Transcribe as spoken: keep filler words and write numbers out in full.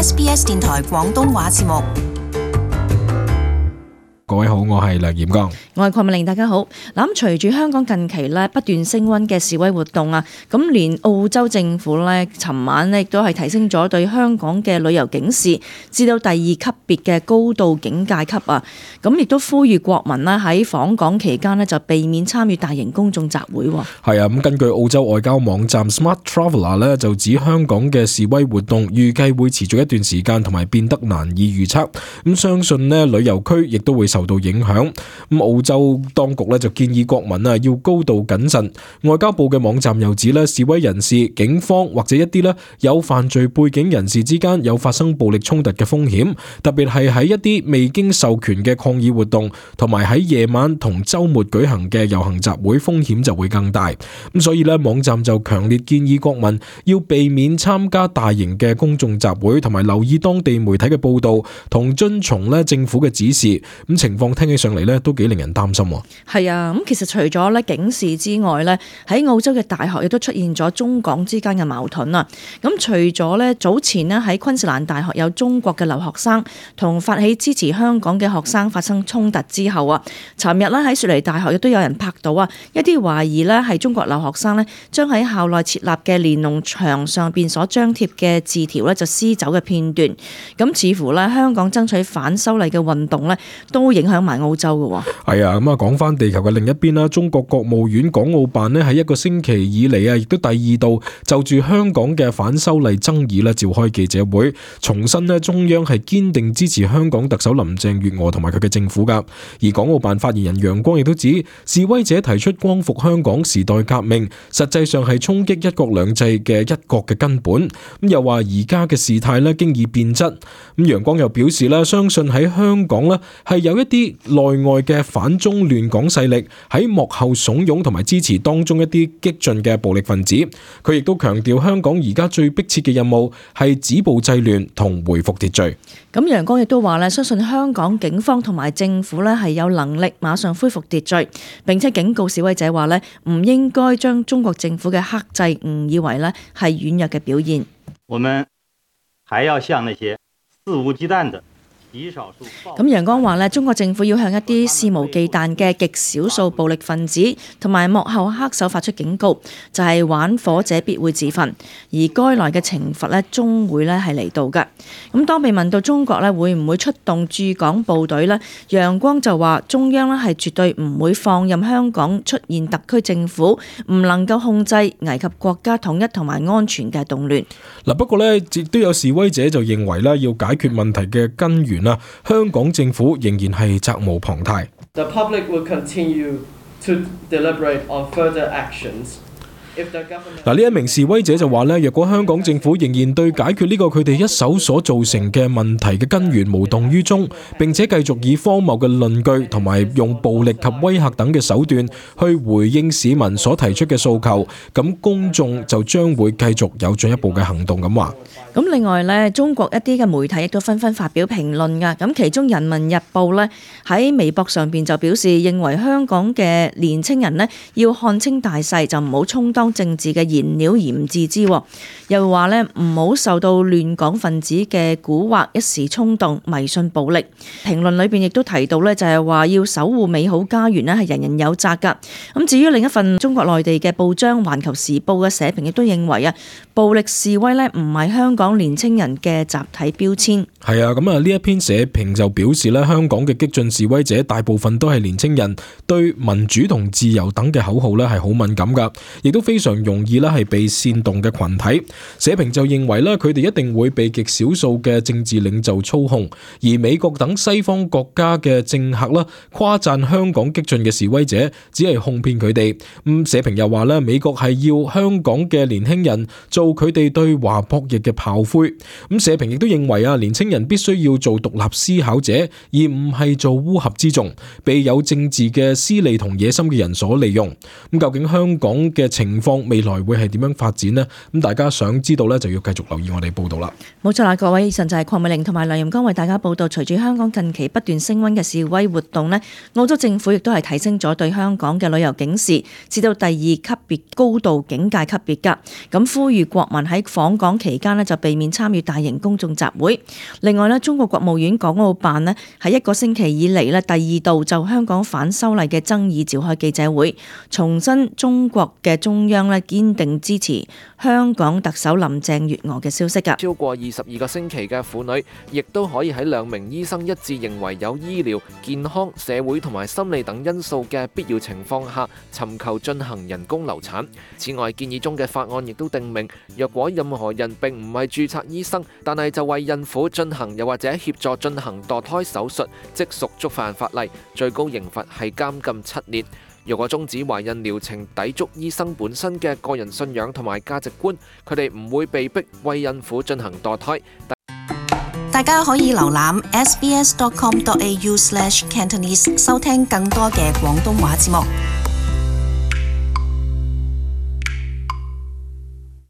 S B S 電台廣東話節目。各位好，我係梁炎剛，我係鄺美玲，大家好。嗱，咁隨住香港近期咧不斷升溫嘅示威活動啊，咁連澳洲政府咧，尋晚咧亦都係提升咗對香港嘅旅遊警示，至到第二級別嘅高度警戒級啊。咁亦都呼籲國民咧喺訪港期間咧就避免參與大型公眾集會。係啊，咁根據澳洲外交網站 Smart Traveller 咧就指香港嘅示威活動預計會持續一段時間，同埋變得難以預測。咁相信咧旅遊區亦都會受到影響。咁澳洲當局咧就建議國民啊要高度謹慎。外交部嘅網站又指咧示威人士、警方或者一啲咧有犯罪背景人士之間有發生暴力衝突嘅風險，特別係喺一啲未經授權嘅抗議活動，同埋喺夜晚同週末舉行嘅遊行集會，風險就會更大。咁所以咧網站就強烈建議國民要避免參加大型嘅公眾集會，同埋留意當地媒體嘅報導，同遵從咧政府嘅指示。咁情況聽起上嚟咧都幾令人擔心。係啊，咁其實除咗咧警示之外咧，喺澳洲嘅大學亦都出現咗中港之間嘅矛盾啊。咁除咗咧早前咧喺昆士蘭大學有中國嘅留學生同發起支持香港嘅學生發生衝突之後啊，尋日咧喺雪梨大學亦都有人拍到啊一啲懷疑咧係中國留學生咧將喺校內設立嘅連儂牆上邊所張貼嘅字條咧就撕走嘅片段。咁似乎咧香港爭取反修例嘅運動咧都影響埋澳洲嘅。係啊，咁啊講翻地球嘅另一邊啦，中國國務院港澳辦咧喺一個星期以嚟啊，亦都第二度就住香港嘅反修例爭議咧召開記者會，重申咧中央係堅定支持香港特首林鄭月娥同埋佢嘅政府噶。而港澳辦發言人楊光亦都指，示威者提出光復香港時代革命，實際上係衝擊一國兩制嘅一國嘅根本。咁又話而家嘅事態咧經已變質。咁楊光又表示咧，相信喺香港咧係有一啲內外嘅反中亂港勢力喺幕後慫恿同埋支持當中一啲激進嘅暴力分子。佢亦都強調香港而家最迫切嘅任務係止暴制亂同回復秩序。咁楊光亦都話咧，相信香港警方同埋政府咧係有能力馬上恢復秩序，並且警告示威者話咧唔應該將中國政府嘅克制誤以為咧係軟弱嘅表現。我們還要向那些肆無忌憚的咁楊光話咧，中國政府要向一啲肆無忌憚嘅極少數暴力分子同埋幕後黑手發出警告，就係玩火者必會自焚，而該來嘅懲罰咧終會咧係嚟到嘅。咁當被問到中國咧會唔會出動駐港部隊咧，楊光就話中央咧係絕對唔會放任香港出現特區政府唔能夠控制危及國家統一同埋安全嘅動亂。嗱，不過咧亦都有示威者就認為咧要解決問題嘅根源啦，香港政府仍然係責無旁貸。The public will continue to deliberate on further actions. 嗱，呢一名示威者就話咧，若果香港政府仍然對解決呢個佢哋一手所造成嘅問題嘅根源無動於衷，並且繼續以荒謬嘅論據同埋用暴力及威嚇等嘅手段去回應市民所提出嘅訴求，咁公眾就將會繼續有進一步嘅行動咁話。咁另外咧，中國一啲嘅媒體亦都紛紛發表評論噶。咁其中《人民日報》咧喺微博上邊就表示，認為香港嘅年青人咧要看清大勢，就唔好充當政治嘅燃料而唔自知。又話咧唔好受到亂港分子嘅蠱惑，一時衝動迷信暴力。評論裏邊亦都提到咧，就係話要守護美好家園咧，係人人有責噶。咁至於另一份中國內地嘅報章《環球時報》嘅社評亦都認為啊，暴力示威咧唔係香港年青人嘅集體標籤。係啊，咁啊呢一篇社評就表示咧，香港嘅激進示威者大部分都係年青人，對民主同自由等嘅口號咧係好敏感噶，亦都非常容易咧係被煽動嘅群體。社評就認為咧，佢哋一定會被極少數嘅政治領袖操控，而美國等西方國家嘅政客啦誇讚香港激進嘅示威者，只係哄騙佢哋。咁社評又話咧，美國係要香港嘅年輕人做佢哋對華博弈嘅炮灰。咁社評亦都認為啊，年青人必須要做獨立思考者，而唔係做烏合之眾，被有政治嘅私利同野心嘅人所利用。咁究竟香港嘅情情況未來會係點樣發展呢？咁大家想知道呢，就要繼續留意我哋報道啦。冇錯啦，各位，以上就係鄺美玲同埋梁任剛為大家報道。隨住香港近期不斷升溫嘅示威活動呢，澳洲政府亦都係提升咗對香港嘅旅遊警示，至到第二級別高度警戒級別㗎。咁呼籲國民喺訪港期間呢，就避免參與大型公眾集會。另外呢，中國國務院港澳辦呢，喺一個星期以嚟呢，第二度就香港反修例嘅爭議召開記者會，重申中國嘅中央呢，堅定支持香港特首林鄭月娥嘅消息㗎。超過二十二個星期嘅婦女，亦都可以喺兩名醫生一致認為有醫療、健康、社會同埋心理等因素嘅必要情況下，尋求進行人工流產。此外，建議中嘅法案亦都定明，若果任何人並唔係註冊醫生，但係就為孕婦進行又或者協助進行墮胎手術，即屬觸犯法例，最高刑罰係監禁七年。如果終止懷孕療程抵觸醫生本身嘅個人信仰同埋價值觀，佢哋唔會被逼為孕婦進行墮胎。大家可以瀏覽 s b s dot com dot a u slash cantonese 收聽更多嘅廣東話節目。